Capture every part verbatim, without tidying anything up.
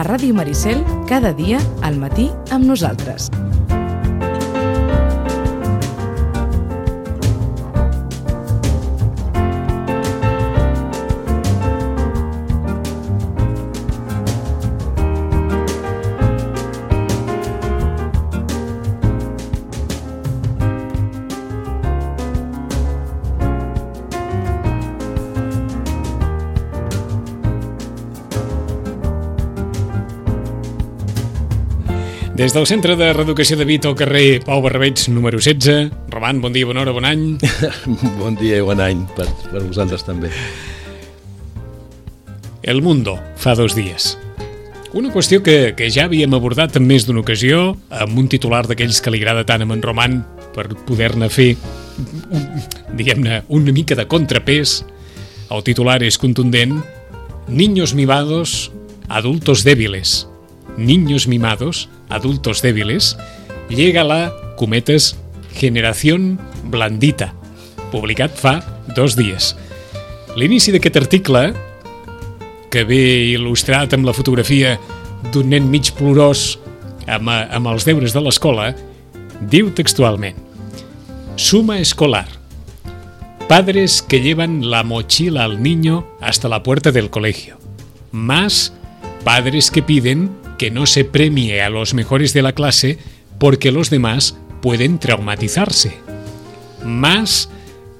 a Ràdio Maricel cada dia al matí amb nosaltres. Des del Centre de Reeducació de Vito, al carrer Pau Barrabeig, número setze. Roman, bon dia, bona hora, bon any. Bon dia i bon any per, per vosaltres també. El Mundo, fa dos dies. Una qüestió que, que ja havíem abordat en més d'una ocasió, amb un titular d'aquells que li agrada tant a en Roman per poder-ne fer, diguem-ne, una mica de contrapès. El titular és contundent: Niños mimados, adultos débiles. Niños mimados, adultos débiles, llega la, cometes, generación blandita, publicat fa dos dies. L'inici d'aquest article, que ve il·lustrat amb la fotografia d'un nen mig plorós amb, amb els deures de l'escola, diu textualment: Suma escolar. Padres que llevan la mochila al niño hasta la puerta del colegio. Más padres que piden que no se premie a los mejores de la clase porque los demás pueden traumatizarse. Más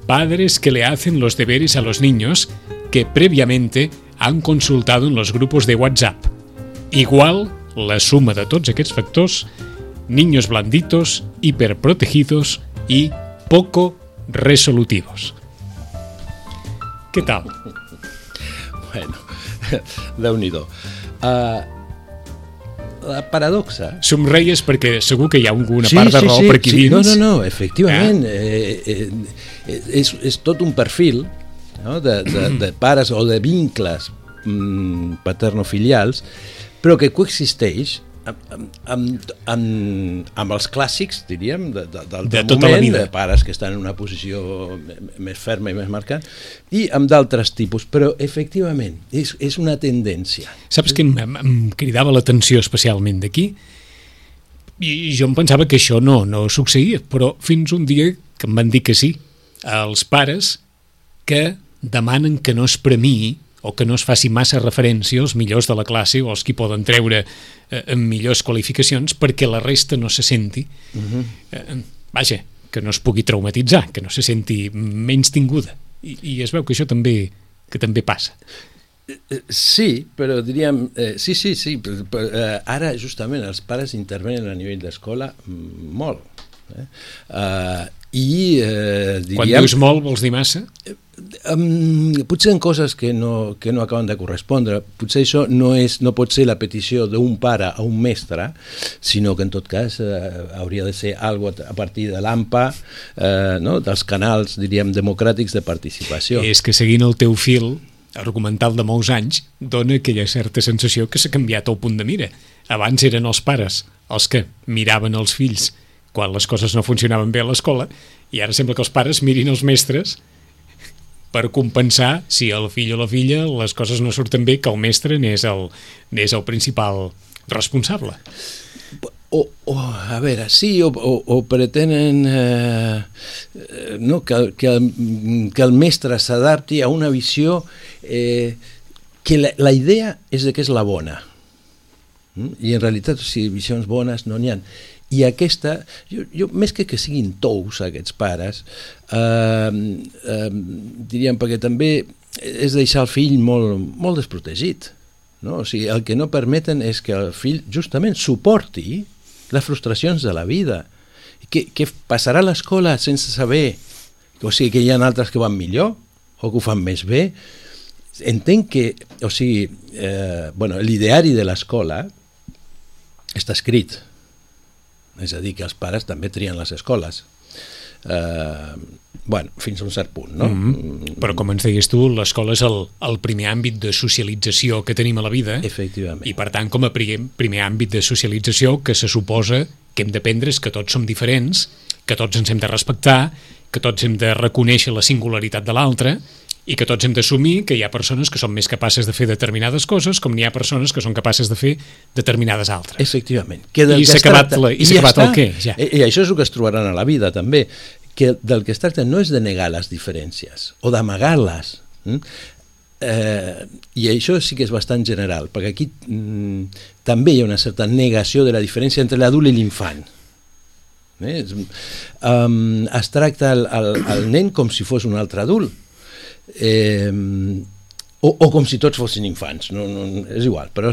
padres que le hacen los deberes a los niños que previamente han consultado en los grupos de WhatsApp. Igual, la suma de tots aquests factors, niños blanditos, hiperprotegidos y poco resolutivos. ¿Qué tal? Bueno, Déu-n'hi-do. Uh, la paradoxa... Somreies perquè segur que hi ha alguna sí, part de sí, raó sí, per aquí sí. dins. No, no, no, efectivament. Eh? Eh, eh, és, és tot un perfil, no? de, de, de pares o de vincles mm, paternofilials, però que coexisteix amb, amb, amb, amb els clàssics, diríem, de, de, del de tota moment, la vida. De pares que estan en una posició més ferma i més marcada, i amb d'altres tipus, però efectivament és, és una tendència. Saps que em, em cridava l'atenció especialment d'aquí? I jo em pensava que això no, no succeïa, però fins un dia que em van dir que sí, els pares que demanen que no es premiï o que no es faci massa referència als millors de la classe o als qui poden treure eh, amb millors qualificacions perquè la resta no se senti, uh-huh. eh, vaja, que no es pugui traumatitzar, que no se senti menys tinguda. I, i es veu que això també, que també passa. Sí, però diríem... Eh, sí, sí, sí. Però, però, eh, ara, justament, els pares intervenen a nivell d'escola molt. Eh? Uh, I eh, diríem... Quan dius molt, vols dir massa? Eh, um, potser en coses que no, que no acaben de correspondre. Potser això no, és, no pot ser la petició d'un pare a un mestre, sinó que en tot cas eh, hauria de ser algo a partir de l'A M P A, eh, no? dels canals, diríem, democràtics de participació. És que seguint el teu fil argumental de molts anys, dona aquella certa sensació que s'ha canviat el punt de mira. Abans eren els pares els que miraven els fills quan les coses no funcionaven bé a l'escola, i ara sembla que els pares mirin els mestres per compensar si el fill o la filla les coses no surten bé, que el mestre n'és el, n'és el principal responsable. O, o, a veure, sí, o, o, o pretenen eh, no, que, que, el, que el mestre s'adapti a una visió eh, que la, la idea és de que és la bona. Mm? I en realitat, o sigui, visions bones no n'hi ha. I aquesta, jo, jo, més que que siguin tous aquests pares, eh, eh, diríem, perquè també és deixar el fill molt, molt desprotegit. No? O sigui, el que no permeten és que el fill justament suporti les frustracions de la vida. Que, que passarà a l'escola sense saber, o sigui, que hi ha altres que van millor o que ho fan més bé. Entenc que, o sigui, eh, bueno, l'ideari de l'escola està escrit. És a dir, que els pares també trien les escoles. Eh, bueno, fins a un cert punt, no? Mm-hmm. Però com ens deies tu, l'escola és el, el primer àmbit de socialització que tenim a la vida. Efectivament. I per tant, com a primer, primer àmbit de socialització, que se suposa que hem d'aprendre és que tots som diferents, que tots ens hem de respectar, que tots hem de reconèixer la singularitat de l'altre i que tots hem d'assumir que hi ha persones que són més capaces de fer determinades coses com n'hi ha persones que són capaces de fer determinades altres. Efectivament. Que del I que s'ha acabat, tracta, la, i s'ha ja acabat està. el què, ja. I, I això és el que es trobaran a la vida, també, que del que es tracta no és de negar les diferències o d'amagar-les. Mm? Eh, I això sí que és bastant general, perquè aquí mm, també hi ha una certa negació de la diferència entre l'adult i l'infant. Eh? Um, es tracta el, el, el nen com si fos un altre adult. Eh, o, o com si tots fossin infants, no, no, és igual, però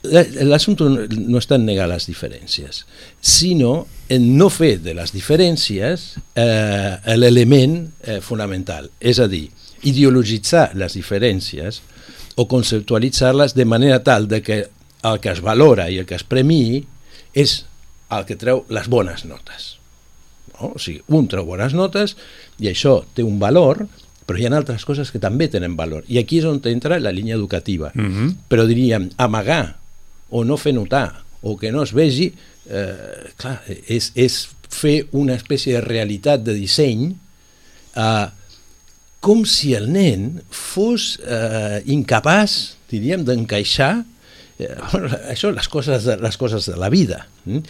l'assumpte no està en negar les diferències, sinó en no fer de les diferències eh, l'element eh, fonamental, és a dir, ideologitzar les diferències o conceptualitzar-les de manera tal de que el que es valora i el que es premiï és el que treu les bones notes. No? O sigui, un treu bones notes i això té un valor, però hi ha altres coses que també tenen valor. I aquí és on entra la línia educativa. Mm-hmm. Però diríem, amagar o no fer notar o que no es vegi, eh, clar, és, és fer una espècie de realitat de disseny eh, com si el nen fos eh, incapaç, diríem, d'encaixar eh, això, les coses, de, les coses de la vida. Mm?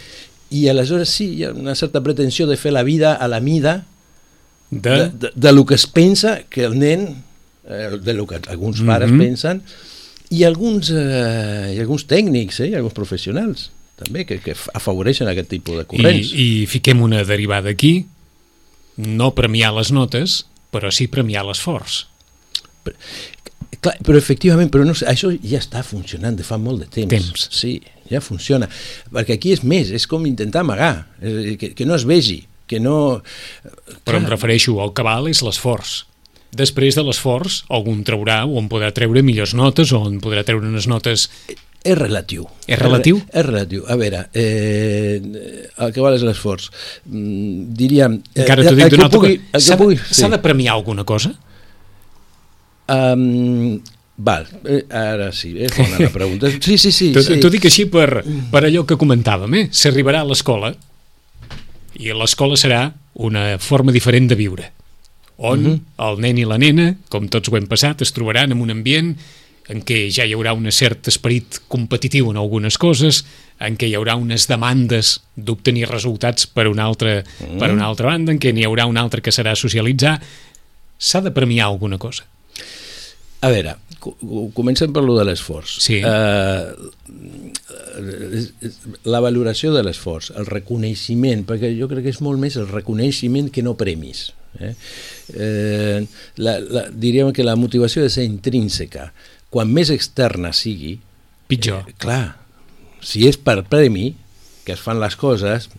I aleshores sí, hi ha una certa pretensió de fer la vida a la mida de, de, de, de lo que es pensa que el nen, eh, de lo que alguns pares mm-hmm. pensen, i alguns, eh, i alguns tècnics, eh, i alguns professionals també, que, que afavoreixen aquest tipus de corrents. I, I fiquem una derivada aquí, no premiar les notes, però sí premiar l'esforç. Però, clar, però efectivament, però no, això ja està funcionant de fa molt de temps. Temps. Sí, ja funciona. Perquè aquí és més, és com intentar amagar, eh, que, que no es vegi, que no... Però em refereixo al cabal és l'esforç. Després de l'esforç, algun traurà o en podrà treure millors notes o en podrà treure unes notes... És relatiu. És relatiu? És, és relatiu. A veure, eh, el que val és l'esforç. Mm, diríem... Eh, Encara t'ho dic d'una altra pugui, cosa. S'ha pugui, sí. de premiar alguna cosa? Um, val, eh, ara sí, és bona la pregunta. Sí, sí, sí. T'ho sí. dic així per, per allò que comentàvem, eh? S'arribarà a l'escola i l'escola serà una forma diferent de viure, on uh-huh. el nen i la nena, com tots ho hem passat, es trobaran en un ambient en què ja hi haurà un cert esperit competitiu en algunes coses, en què hi haurà unes demandes d'obtenir resultats per una altra, uh-huh. per una altra banda, en què n'hi haurà una altra que serà socialitzar. S'ha de premiar alguna cosa. A veure, comencem per lo de l'esforç. Sí. Uh, la valoració de l'esforç, el reconeixement, perquè jo crec que és molt més el reconeixement que no premis. Eh? Eh, la, la, diríem que la motivació ha de ser intrínseca. Quan més externa sigui, pitjor. Eh, clar, si és per premi que es fan les coses,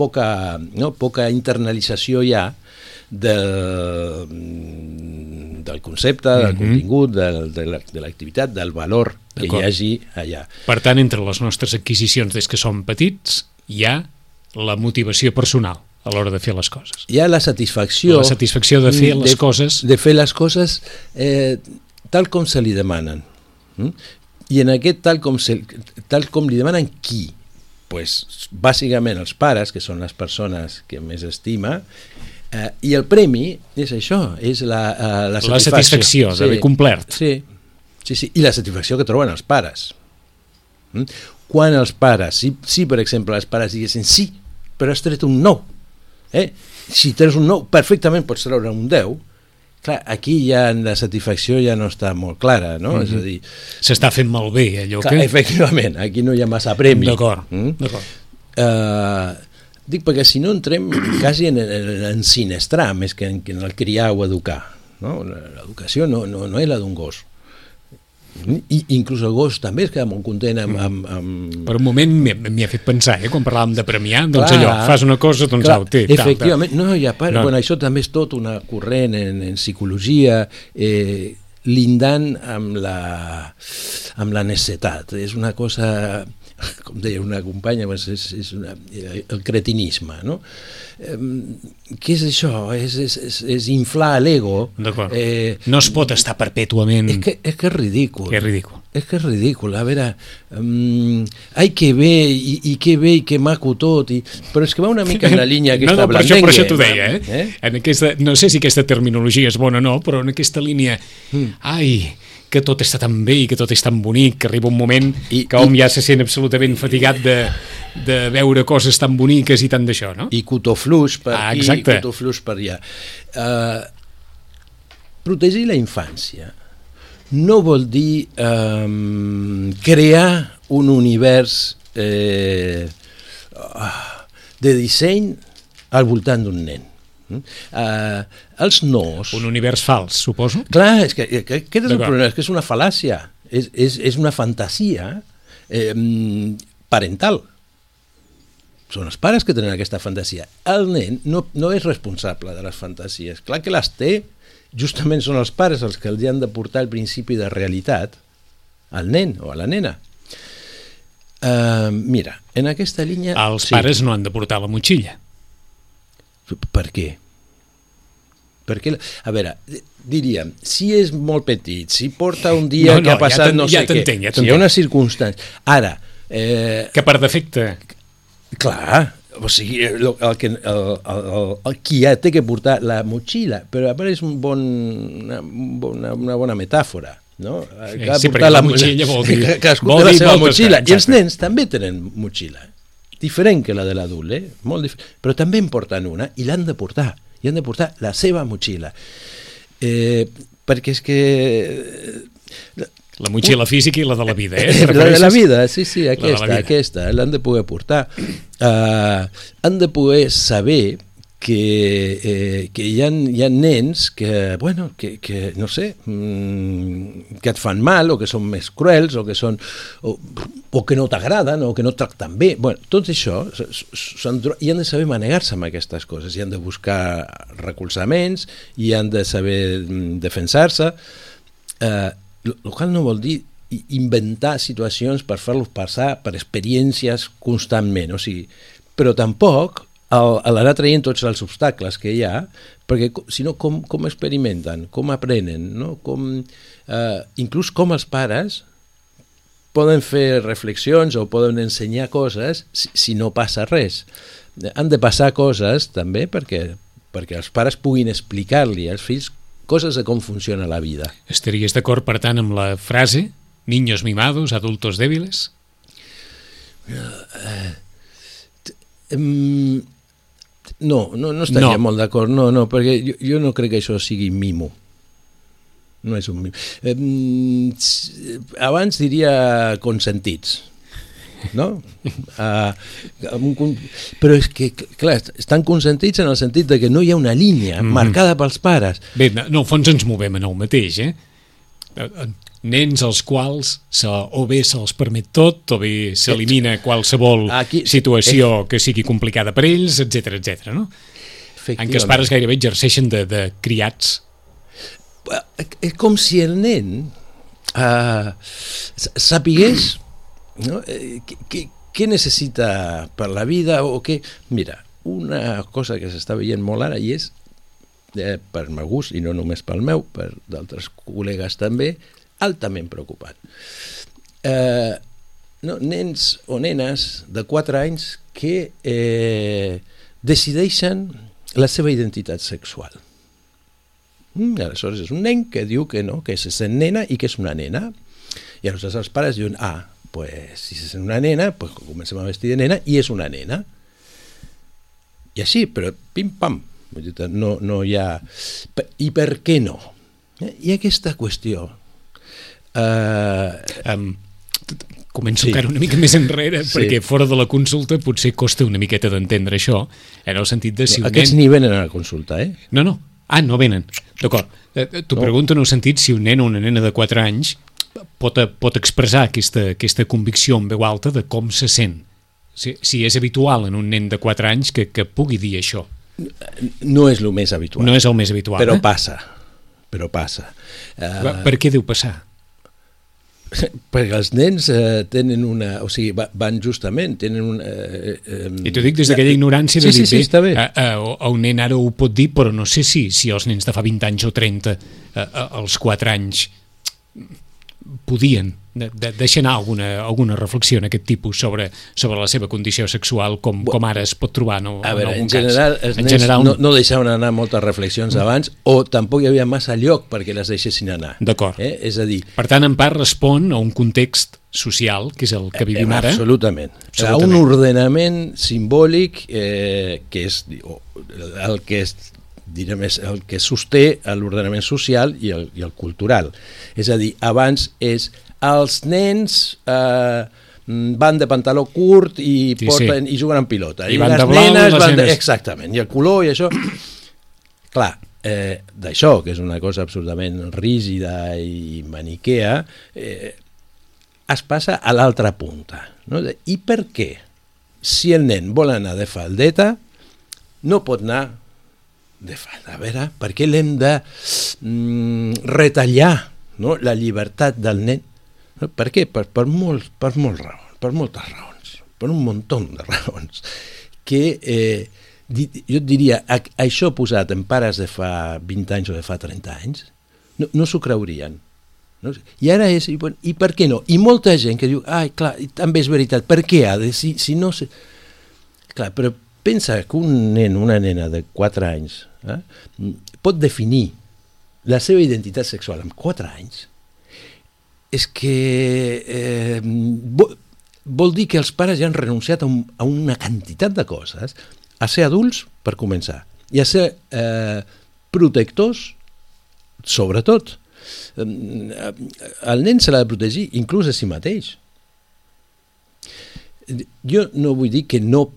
poca, no, poca internalització hi ha del, del concepte, del mm-hmm. contingut, del, de l'activitat, del valor que hi hagi allà. Per tant, entre les nostres adquisicions des que som petits hi ha la motivació personal a l'hora de fer les coses. Hi ha la satisfacció... La satisfacció de fer les de, coses... De fer les coses eh, tal com se li demanen. Mm? I en aquest tal com, se, tal com li demanen qui? Pues, bàsicament els pares, que són les persones que més estima, eh, i el premi és això, és la, uh, la satisfacció. La satisfacció d'haver sí, complert. Sí, sí, sí, i la satisfacció que troben els pares. Mm? Quan els pares, si, si per exemple els pares diguessin sí, però has tret un nou, eh? si treus un nou, perfectament pots treure un deu, clar, aquí ja la satisfacció ja no està molt clara, no? Mm-hmm. És a dir... S'està fent malbé, allò clar, que... Efectivament, aquí no hi ha massa premi. D'acord, mm? d'acord. Uh, dic perquè si no entrem quasi en, en, en sinestrar més que en, en el criar o educar, no? L'educació no, no, no és la d'un gos. I inclús el gos també es queda molt content amb... amb, amb... Per un moment m'hi ha fet pensar, eh? Quan parlàvem de premiar, doncs clar, allò, fas una cosa, doncs clar, au, té. Efectivament, tal, no, ja, part, no. Bueno, això també és tot una corrent en, en psicologia, eh, lindant amb la, amb la necessitat. És una cosa... O com deia una companya, és, és una, el cretinisme, no? Eh, què és això? És, és, és, és inflar l'ego. D'acord. Eh, no es pot estar perpètuament... És que és, que és ridícul. Que és ridícul. És que és ridícul. A veure, um, ai, que bé, i, i que bé, i que maco tot, i... però és que va una mica en la línia aquesta no, no, per blandengue. això, per això t'ho deia, eh? eh? En aquesta, no sé si aquesta terminologia és bona o no, però en aquesta línia, mm. ai, que tot està tan bé i que tot és tan bonic, que arriba un moment I, que hom i, ja se sent absolutament fatigat de, de veure coses tan boniques i tant d'això, no? I cotoflux per ah, aquí, exacte. cotoflux per allà. Uh, protegir la infància no vol dir um, crear un univers eh, de disseny al voltant d'un nen. Uh, els nos... Un univers fals, suposo? Clar, és que, que aquest és el problema, és que és una fal·làcia, és, és, és una fantasia eh, parental. Són els pares que tenen aquesta fantasia. El nen no, no és responsable de les fantasies. Clar que les té, justament són els pares els que els han de portar el principi de realitat al nen o a la nena. Uh, mira, en aquesta línia... Els sí. pares no han de portar la motxilla. Per què? Perquè, a veure, diríem, si és molt petit, si porta un dia no, no, que ha passat ja no sé ja què, ja si hi ha una circumstància... Ara... Eh, que per defecte... Clar, o sigui, el, el, que, el, el, el qui ja té que portar la motxilla, però a part és un bon, una, una, una bona metàfora, no? Sí, sí, perquè la motxilla vol dir... Cadascú té la seva motxilla, i els nens també tenen motxilla. Diferent que la de l'adult, eh? Molt diferent. Però també en porten una i l'han de portar, i han de portar la seva motxilla. Eh, perquè és que... La motxilla física i la de la vida, eh? La de la vida, sí, sí, aquesta, aquesta, l'han de poder portar. Uh, han de poder saber que, eh, que hi ha, hi ha nens que, bueno, que, que no sé, mmm, que et fan mal o que són més cruels o que són o, o que no t'agraden o que no et tracten bé. Bueno, tot això i han de saber manegar-se amb aquestes coses i han de buscar recolzaments i han de saber defensar-se. Eh, el qual no vol dir inventar situacions per fer-los passar per experiències constantment, o sigui, però tampoc a l'anar traient tots els obstacles que hi ha, perquè si no, com, com experimenten, com aprenen, no? Com, eh, inclús com els pares poden fer reflexions o poden ensenyar coses si, si no passa res. Han de passar coses també perquè, perquè els pares puguin explicar-li als fills coses de com funciona la vida. Estaries d'acord, per tant, amb la frase niños mimados, adultos débiles? Uh, um, no, no, no estaria no. molt d'acord, no, no, perquè jo, jo no crec que això sigui mimo. No és un mimo. Um, abans diria consentits, no? Uh, però és que, clar, estan consentits en el sentit de que no hi ha una línia mm. marcada pels pares. Bé, no, no, al fons ens movem en el mateix, eh? Nens als quals se, o bé se'ls permet tot o bé s'elimina qualsevol Aquí, situació eh, que sigui complicada per ells, etcètera, etcètera, no? En què els pares gairebé exerceixen de, de criats. És com si el nen uh, sapigués, no? Què, què necessita per la vida o què... Mira, una cosa que s'està veient molt ara i és, eh, per meu gust, i no només pel meu, per d'altres col·legues també, altament preocupant. Eh, no, nens o nenes de quatre anys que eh, decideixen la seva identitat sexual. Mm, aleshores és un nen que diu que no, que se sent nena i que és una nena. I aleshores els pares diuen, ah, pues, si se sent una nena, pues comencem a vestir de nena i és una nena. I així, però pim-pam. No, no hi ha... I per què no? Hi ha aquesta qüestió. Uh, um, començo sí. encara una mica més enrere, sí. perquè fora de la consulta potser costa una miqueta d'entendre això, en el sentit de si no, un aquests nen... ni venen a la consulta, eh? No, no. Ah, no venen. D'acord. T'ho no. pregunto en el sentit si un nen o una nena de quatre anys pot, pot expressar aquesta, aquesta convicció en veu alta de com se sent. Si, si és habitual en un nen de quatre anys que, que pugui dir això. No és el més habitual. No és el més habitual. Però eh? passa. Però passa. Uh... Per què deu passar? perquè els nens eh, tenen una... O sigui, van justament, tenen una... Eh, eh, I t'ho dic des d'aquella ignorància de sí, dir, sí, sí, està bé. A, a, a un nen ara ho pot dir, però no sé si, si els nens de fa vint anys o trenta, a, a, als quatre anys, podien de, de, deixar anar alguna, alguna reflexió en aquest tipus sobre, sobre la seva condició sexual, com, com ara es pot trobar no, a veure, en algun en general, cas. Els en nens general, no, no deixaven anar moltes reflexions mm. abans, o tampoc hi havia massa lloc perquè les deixessin anar. D'acord. Eh? És a dir... Per tant, en part respon a un context social, que és el que vivim eh, ara. Absolutament. absolutament. A un ordenament simbòlic eh, que és el que és direm, és el que sosté l'ordenament social i el, i el cultural. És a dir, abans és els nens eh, van de pantaló curt i, sí, porten, sí. i juguen amb pilota. I, I van les de blau, nenes les van de... nenes... Exactament, i el color i això... Clar, eh, d'això, que és una cosa absolutament rígida i maniquea, eh, es passa a l'altra punta. No? I per què? Si el nen vol anar de faldeta, no pot anar de falda. A veure, per què l'hem de mm, retallar, no? La llibertat del nen? No? Per què? Per, per, molt, per molt raons, per moltes raons, per un muntó de raons, que eh, di, jo et diria, a, això posat en pares de fa vint anys o de fa trenta anys, no, no s'ho creurien. No? I ara és, i, bueno, i per què no? I molta gent que diu, ai, clar, també és veritat, per què ha de, si, si no... Se... Clar, però pensa que un nen, una nena de quatre anys eh, pot definir la seva identitat sexual amb quatre anys, és que eh, vol, vol dir que els pares ja han renunciat a, un, a una quantitat de coses, a ser adults, per començar, i a ser eh, protectors, sobretot. El nen se l'ha de protegir inclús a si mateix. Jo no vull dir que no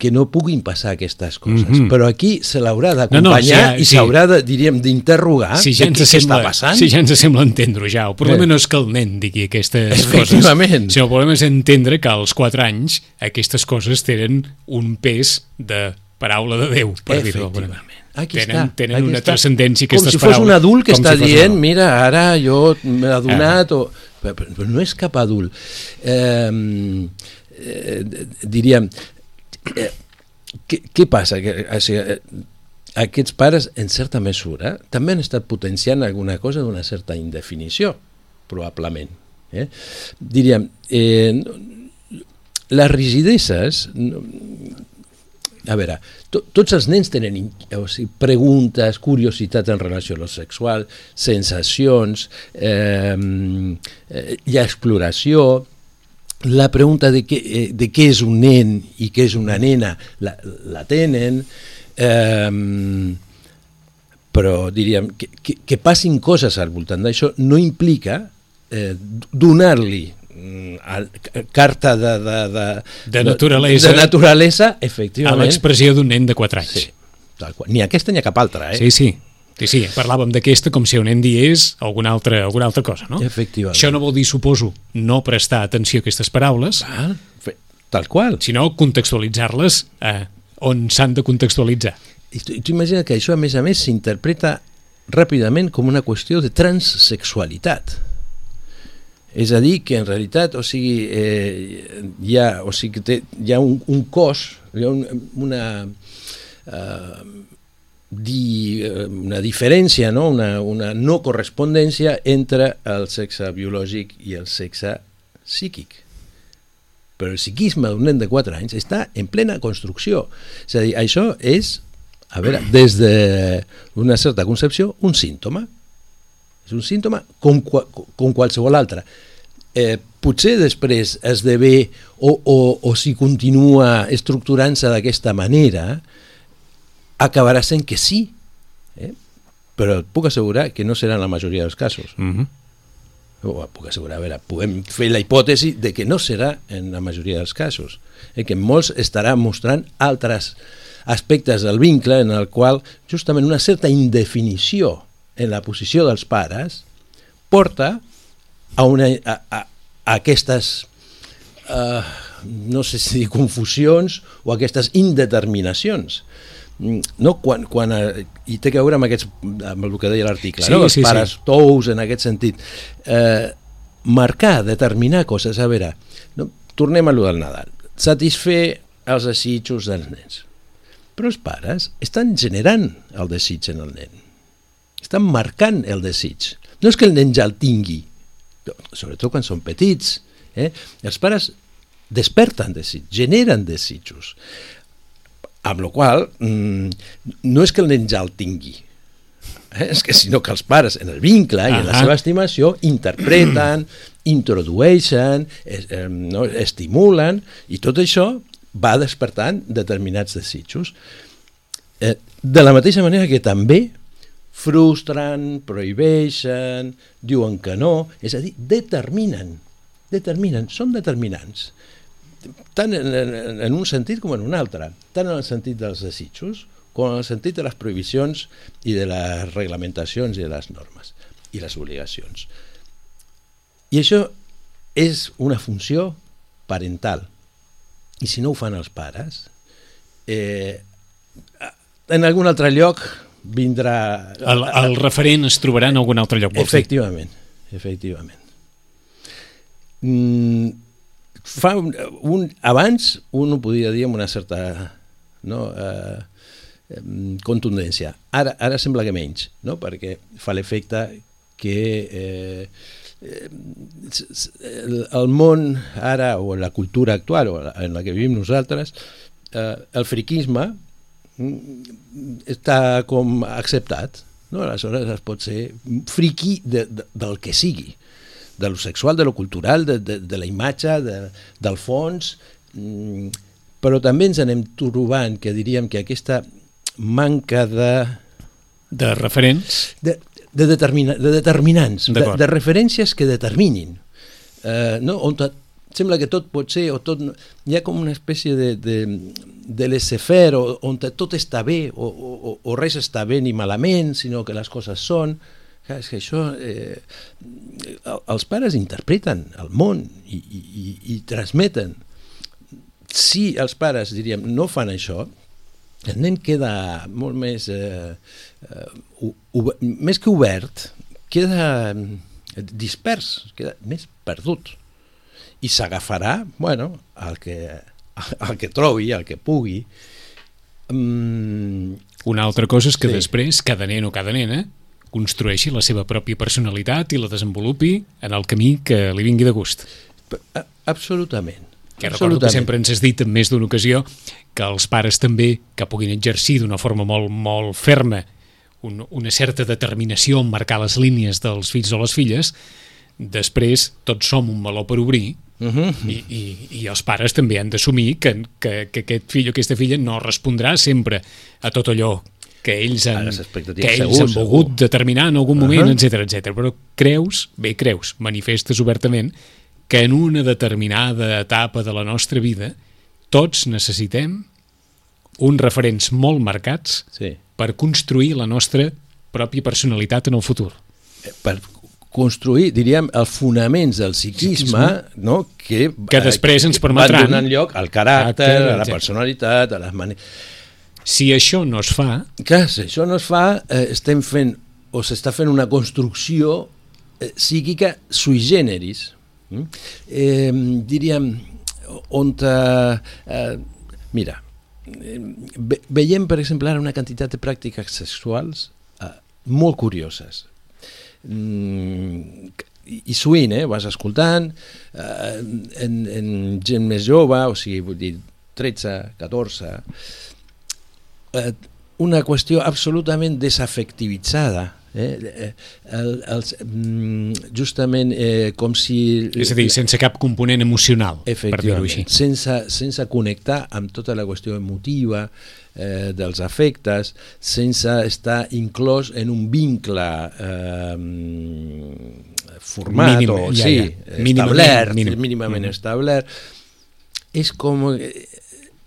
que no puguin passar aquestes coses, mm-hmm. però aquí se l'haurà d'acompanyar no, no, si, i s'haurà, sí. diríem, d'interrogar si ja de què sembla, està passant. Si ja ens sembla entendre-ho ja, el problema eh. no és que el nen digui aquestes coses, sinó el problema és entendre que als quatre anys aquestes coses tenen un pes de paraula de Déu, per dir-ho d'alguna manera. Aquí tenen està, tenen aquí una està. transcendència aquestes aquestes paraules. Com si fos un adult que està si dient, mira, ara jo m'he adonat, ah. o... però, però no és cap adult. Eh, eh, diríem... Eh, Què, què passa? Que, o sigui, aquests pares, en certa mesura, també han estat potenciant alguna cosa d'una certa indefinició, probablement. Eh? Diríem, eh, les rigideses... A veure, to, tots els nens tenen o sigui, preguntes, curiositats en relació a lo sexual, sensacions, eh, hi ha exploració. La pregunta de què, de què és un nen i què és una nena la, la tenen, eh, però diríem que, que, que passin coses al voltant d'això no implica eh, donar-li eh, carta de, de, de, de, naturalesa, de naturalesa efectivament, a l'expressió d'un nen de quatre anys. Sí, tal qual. Ni aquesta ni cap altra. Eh? Sí, sí. Sí, sí, parlàvem d'aquesta com si un nen digués alguna altra, alguna altra cosa, no? Efectivament. Això no vol dir, suposo, no prestar atenció a aquestes paraules, ah, tal qual, sinó contextualitzar-les eh, on s'han de contextualitzar. I tu, tu imagina que això, a més a més, s'interpreta ràpidament com una qüestió de transsexualitat. És a dir, que en realitat, o sigui, eh, hi ha, o sigui, té, hi ha un, un cos, hi ha un, una... Eh, Di, una diferència, no? una, una no correspondència entre el sexe biològic i el sexe psíquic. Però el psiquisme d'un nen de quatre anys està en plena construcció. És a dir, això és, a veure, des d'una certa concepció, un símptoma. És un símptoma com, com qualsevol altre. Eh, potser després esdevé o, o, o si continua estructurant-se d'aquesta manera, acabarà sent que sí, eh? Però et puc assegurar que no serà en la majoria dels casos. Mm-hmm. O puc assegurar, a veure, podem fer la hipòtesi de que no serà en la majoria dels casos, eh? Que molts estarà mostrant altres aspectes del vincle en el qual justament una certa indefinició en la posició dels pares porta a, una, a, a, a aquestes uh, no sé si confusions o aquestes indeterminacions. No, quan, quan, i té que veure amb, aquests, amb el que deia l'article, sí, no? Els sí, pares sí. tous en aquest sentit. Eh, marcar, determinar coses. A veure, no? Tornem a lo del Nadal. Satisfer els desitjos dels nens. Però els pares estan generant el desig en el nen. Estan marcant el desig. No és que el nen ja el tingui, sobretot quan són petits. Eh? Els pares desperten desig, generen desitjos. Amb la qual cosa, no és que el nen ja el tingui, eh? És que sinó que els pares, en el vincle i en la seva estimació, interpreten, introdueixen, es, eh, no, estimulen, i tot això va despertant determinats desitjos. Eh, de la mateixa manera que també frustren, prohibeixen, diuen que no, és a dir, determinen, determinen, són determinants, tant en, en, en un sentit com en un altre, tant en el sentit dels desitjos com en el sentit de les prohibicions i de les reglamentacions i de les normes i les obligacions. I això és una funció parental. I si no ho fan els pares, eh, en algun altre lloc vindrà... El, el referent es trobarà en algun altre lloc. Efectivament, efectivament. Mm, fa un, un, abans un ho podia dir amb una certa no, eh, contundència. Ara, ara sembla que menys, no? Perquè fa l'efecte que eh, el, el món ara, o la cultura actual, o en la que vivim nosaltres, eh, el friquisme està com acceptat, no? Aleshores es pot ser friqui de, de, del que sigui, de lo sexual, de lo cultural, de, de, de la imatge, de, del fons, però també ens anem trobant que diríem que aquesta manca de... De referents? De, de, determina, de determinants, de, de referències que determinin, eh, no? On te, sembla que tot pot ser, o tot, hi ha com una espècie de, de, de laissez-faire, on tot està bé, o, o, o res està bé ni malament, sinó que les coses són. Clar, és que això, eh, els pares interpreten el món i, i, i transmeten. Si els pares, diríem, no fan això, el nen queda molt més, eh, uh, més que obert, queda dispers, queda més perdut. I s'agafarà, bueno, el que, el que trobi, el que pugui. Mm. Una altra cosa és que sí. Després cada nen o cada nena construeixi la seva pròpia personalitat i la desenvolupi en el camí que li vingui de gust. Absolutament. Que recordo que sempre ens has dit en més d'una ocasió que els pares també que puguin exercir d'una forma molt, molt ferma un, una certa determinació en marcar les línies dels fills o les filles, després tots som un meló per obrir. Uh-huh. I, i, i els pares també han d'assumir que, que, que aquest fill o aquesta filla no respondrà sempre a tot allò que ells han, que ells segur, han volgut segur. determinar en algun moment, uh-huh. etcètera, etcètera. Però creus, bé creus, manifestes obertament que en una determinada etapa de la nostra vida tots necessitem uns referents molt marcats sí. per construir la nostra pròpia personalitat en el futur. Per construir, diríem, els fonaments del psiquisme, no? que, que després ens permetran van donant lloc al caràcter, a la personalitat, a les maneres. Si això no es fa... Clar, si això no es fa, eh, estem fent, o s'està fent una construcció eh, psíquica sui generis. Mm? Eh, diríem, on... Eh, mira, eh, ve, veiem, per exemple, ara una quantitat de pràctiques sexuals eh, molt curioses. Mm, i sovint, eh, vas escoltant, eh, en, en gent més jove, o sigui, vull dir, tretze, catorze... una qüestió absolutament desafectivitzada, eh? el, els, justament eh, com si... És a dir, sense cap component emocional, per dir-ho així. Sense, sense connectar amb tota la qüestió emotiva eh, dels afectes, sense estar inclòs en un vincle eh, format Mínim, o ja, sí, ja. establert, mínimament, mínimament mm. establert. És com...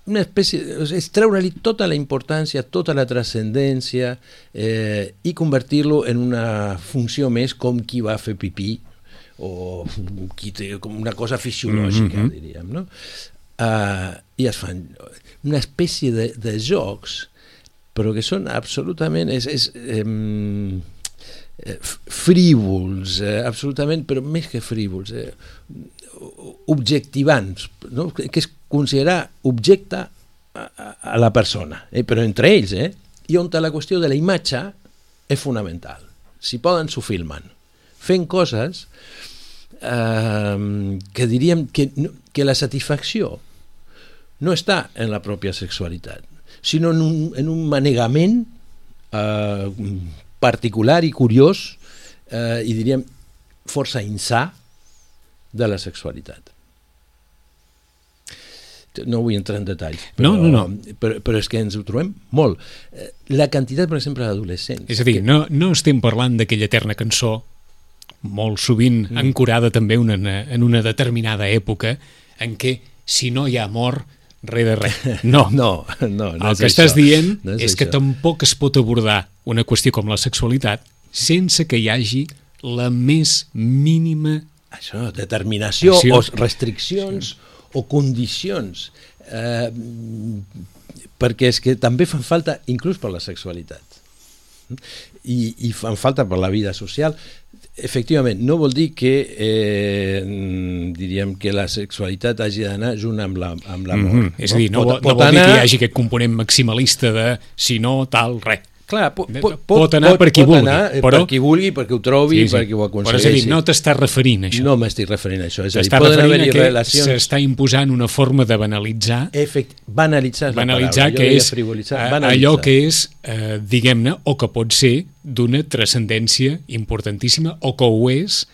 una espècie, és treure-li tota la importància, tota la transcendència eh, i convertir-lo en una funció més com qui va fer pipí o qui té com una cosa fisiològica, mm-hmm. diríem, no? Uh, i es fan una espècie de, de jocs, però que són absolutament... És, és, eh, eh, frívols, eh, absolutament, però més que frívols, eh, objectivants, no? Que és considerar objecte a, a la persona, eh? Però entre ells, eh? I on la qüestió de la imatge és fonamental. Si poden, s'ho filmen, fent coses eh, que diríem que, que la satisfacció no està en la pròpia sexualitat, sinó en un, en un manegament eh, particular i curiós eh, i diríem força insà de la sexualitat. No vull entrar en detalls, però, no, no, no. però, però és que ens ho trobem molt. La quantitat, per exemple, d'adolescents... És a dir, que... no, no estem parlant d'aquella eterna cançó, molt sovint mm. ancorada també una, en una determinada època, en què si no hi ha amor, res de res. No, no, no, no el que això. estàs dient no és, és que tampoc es pot abordar una qüestió com la sexualitat sense que hi hagi la més mínima... Això, determinació acció. O restriccions... Sí. O condicions, eh, perquè és que també fan falta inclús per la sexualitat i, i fan falta per la vida social. Efectivament, no vol dir que eh, diríem que la sexualitat hagi d'anar junt amb l'amor. La, amb l'amor. Mm-hmm. És a dir, no, pot, no vol anar... dir que hi hagi aquest component maximalista de si no, tal, res. Clar, pot, pot, pot anar pot, per qui pot vulgui, anar però... per qui vulgui, perquè ho trobi, sí, sí. perquè ho aconsegueixi. Però és a dir, no t'estàs referint a això. No m'estic referint a això. És a dir, t'estàs poden referint haver-hi a que relacions... s'està imposant una forma de banalitzar... Efect... Banalitzar és banalitzar la paraula. Que és banalitzar. Allò que és, eh, diguem-ne, o que pot ser d'una transcendència importantíssima, o que ho és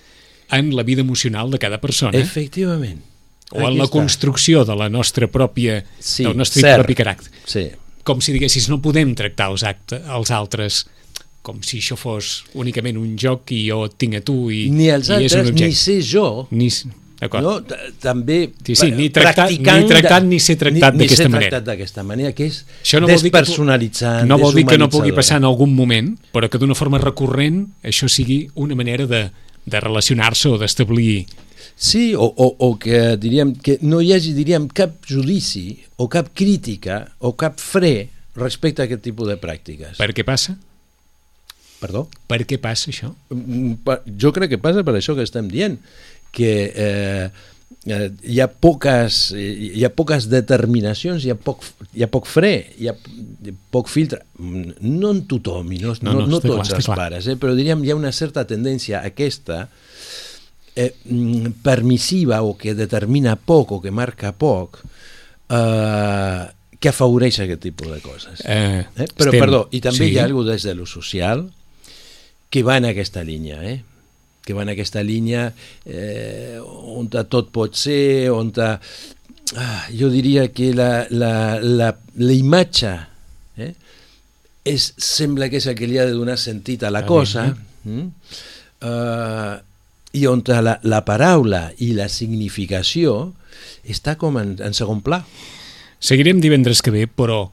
en la vida emocional de cada persona. Efectivament. O en Aquí la està. construcció de la nostra pròpia, sí, del nostre cert. propi caràcter. Sí. Com si diguessis, no podem tractar els, acte, els altres com si això fos únicament un joc i jo et tinc a tu i, ni els i és un altres, objecte. ni ser jo. Ni, d'acord. No, també sí, sí, ni tractat, ni tractat ni ser tractat d'aquesta manera. Ni ser tractat d'aquesta manera, que és no despersonalitzant, no vol dir que no pugui passar en algun moment, però que d'una forma recurrent això sigui una manera de, de relacionar-se o d'establir... Sí, o, o, o que diríem que no hi hagi diríem cap judici o cap crítica o cap fre respecte a aquest tipus de pràctiques. Per què passa? Perdó? Per què passa això? Jo crec que passa per això que estem dient, que eh, eh, hi ha poques hi ha poques determinacions, hi ha poc, hi ha poc fre, hi ha poc filtre, no en tothom i no, no, no, no tots clar, els clar. pares, eh, però diríem hi ha una certa tendència aquesta eh, permissiva o que determina poc o que marca poc eh, que afavoreix aquest tipus de coses. Eh, eh? Però estem, perdó, i també sí. hi ha alguna des de lo social que va en aquesta línia, eh? que va en aquesta línia eh, on tot pot ser, on ta, ah, jo diria que la, la, la, la imatge eh, és, sembla que és el que li ha de donar sentit a la cosa, mm? uh, i on la, la paraula i la significació està com en, en segon pla. Seguirem divendres que ve, però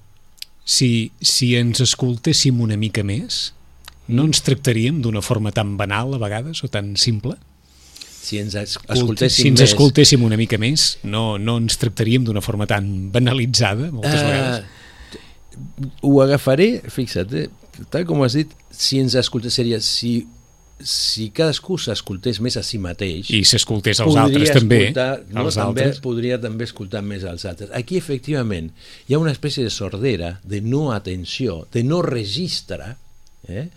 si, si ens escoltéssim una mica més, no ens tractaríem d'una forma tan banal a vegades o tan simple? Si ens escoltéssim, si ens més... escoltéssim una mica més, no, no ens tractaríem d'una forma tan banalitzada moltes uh, vegades? Ho agafaré, fixa't, eh, tal com has dit, si ens escoltés seria si, si cadascú s'escoltés més a si mateix i s'escoltés als altres també, no, als també altres. podria també escoltar més als altres. Aquí efectivament hi ha una espècie de sordera, de no atenció, de no registre eh,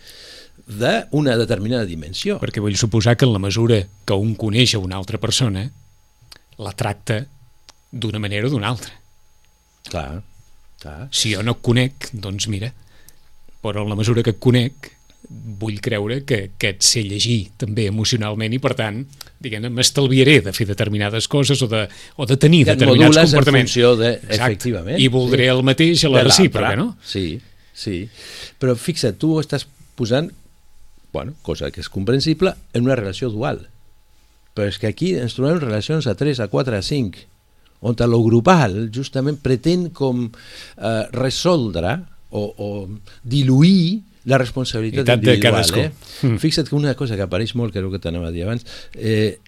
d'una determinada dimensió. Perquè vull suposar que en la mesura que un coneix a una altra persona la tracta d'una manera o d'una altra. Clar, clar. Si jo no et conec, doncs mira, però en la mesura que et conec vull creure que, que et sé llegir també emocionalment i per tant, diguem-ne, m'estalviaré de fer determinades coses o de, o de tenir que determinats comportaments. En funció de, efectivament. I voldré sí. el mateix a la recíproca, no? Sí, sí. Però fixa't, tu estàs posant, bueno, cosa que és comprensible, en una relació dual. Però és que aquí ens trobem relacions a tres, a quatre, a cinc, on lo grupal justament pretén com eh, resoldre o, o diluir la responsabilitat individual. Eh? Mm. Fixa't que una cosa que apareix molt, que és el que t'anava a dir abans, eh,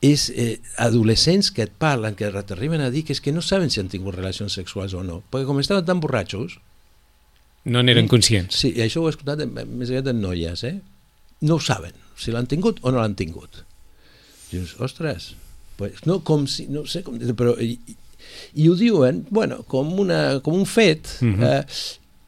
és eh, adolescents que et parlen, que t'arriben a dir que és que no saben si han tingut relacions sexuals o no, perquè com estaven tan borratxos no n'eren conscients. Sí, i això ho he escoltat més aviat en noies, eh? no ho saben, si l'han tingut o no l'han tingut. Dius, ostres, pues no, com si, no sé com dir, però i, i ho diuen, bueno, com, una, com un fet, uh-huh. eh,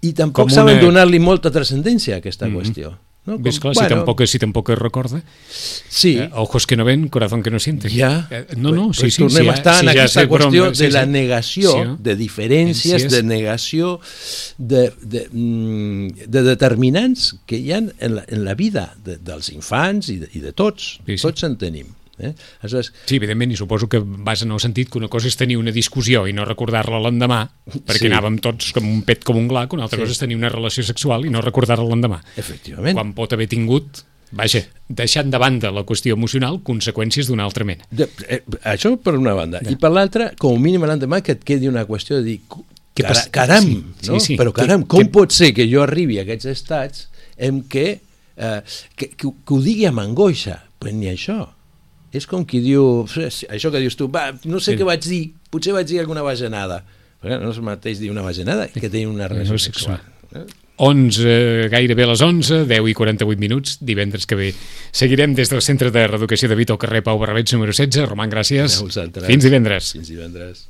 i tampoc com saben una... donar-li molta transcendència a aquesta uh-huh. qüestió. No? Com, Ves clar, bueno, si, tampoc, si tampoc es recorda, sí. eh, ojos que no ven, corazón que no siente. Ja, eh, no, no, pues, sí, sí, tornem sí, a estar sí, en ja aquesta sé, qüestió però, sí, de la sí. negació, sí, de diferències, sí, de negació, de, de, de determinants que hi ha en la, en la vida de, dels infants i de, i de tots, sí, sí. tots en tenim. Eh? Aleshores, sí, evidentment, i suposo que vas en el sentit que una cosa és tenir una discussió i no recordar-la l'endemà, perquè sí. anàvem tots com un pet com un gla, que una altra sí. cosa és tenir una relació sexual i no recordar-la l'endemà. Efectivament. Quan pot haver tingut, vaja, deixant de banda la qüestió emocional, conseqüències d'una altra mena. De, eh, això per una banda. Ja. I per l'altra, com a mínim l'endemà que et quedi una qüestió de dir, cara, caram, sí, no? Sí, sí. Però caram, que, com que... pot ser que jo arribi a aquests estats en què, eh, que, que, que ho digui amb angoixa? Pues ni això. És com qui diu, això que dius tu, va, no sé sí. què vaig dir, potser vaig dir alguna bajanada. Però no és el mateix dir una bajanada que tenir una relació no, sexual. onze, gairebé a les onze, deu i quaranta-vuit minuts, divendres que ve. Seguirem des del Centre de Reeducació de Vito al carrer Pau Barrabets número setze. Roman, gràcies. Fins divendres. Fins divendres.